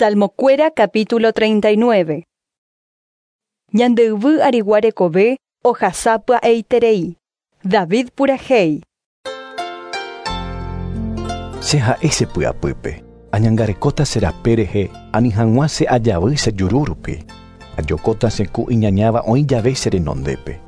Salmokuéra capítulo 39. Ñande yvy arigua rekove ohasa pya'eiterei. David purahéi. Che ha'e che py'apýpe, añangarekóta che rape rehe ani hag̃ua che ajavy che juru rupi. Ajokóta che kũ iñañáva oĩ jave che renondépe.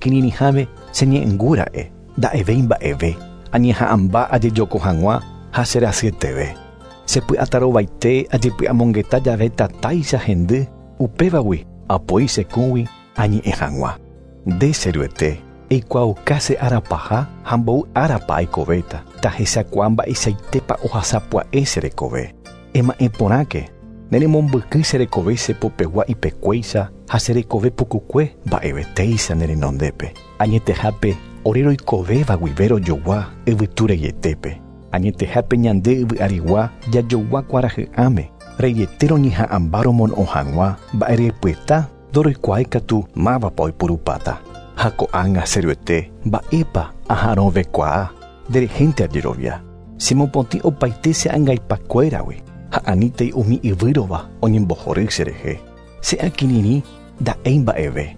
Kirirĩháme che ñe'ẽngu ra'e, nda'evéi mba'eve, añeha'ãmba ajejoko hag̃ua ha che rasyeteve. Che py'atarovaite ajepy'amongeta jave tatáicha hendy, upévagui apoi che kũgui añe'ẽ hag̃ua. Nde, che Ruete, eikuaauka che ára paha ha mboy árapa aikovéta, tahechakuaa mba'eichaitépa ohasa pya'e che rekove. Ema'ẽ porãke, ne remombyky che rekove che popegua ipekuéicha ha che rekove pukukue mba'evetéicha ne renondépe. Añetehápe ore roikovéva guive rojogua yvytu reietépe. Añetehápe ñande yvy arigua jajogua kuarahy'ãme, reiete roñeha'ãmba romono'õ hag̃ua mba'erepyeta ndoroikuaái katu mávapa oipurupáta. Ha ko'ág̃a che Ruete, mba'épa aha'arõvekuaa, nderehénte ajerovia. Chemopotĩ opaite che angaipakuéragui, ha anítei umi yvýrova oñembohory cherehe. Che akirirĩ nda'éi mba'eve,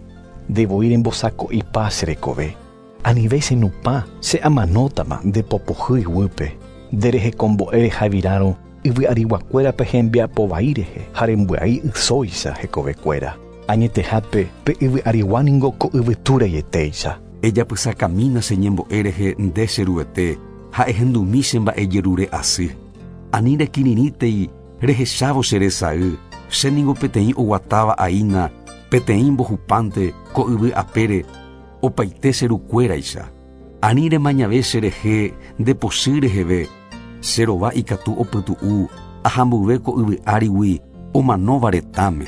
nde voi rembosako'ipa che rekove. Anive che nupã, che amanótama nde po pohýi guýpe. Nde rehekombo'e rehavirárõ yvyariguakuérape hembiapo vai rehe ha rembyai ysóicha hekovekuéra. Añetehápe, pe yvyarigua ningo ko yvytu reietéicha. Ejapysakamína che ñembo'e rehe nde che Ruete ha ehendumi che mba'ejerure asy. Ani rekirirĩtei rehechávo che resay, che ningo peteĩ oguatáva aína peteĩ mbohupánte ko yvy apére opaite che rukuéraicha. Ani remañave che rehe nde pochy reheve, che rova ikatu opytu'u aha mboyve ko yvy árigui omanóva retãme.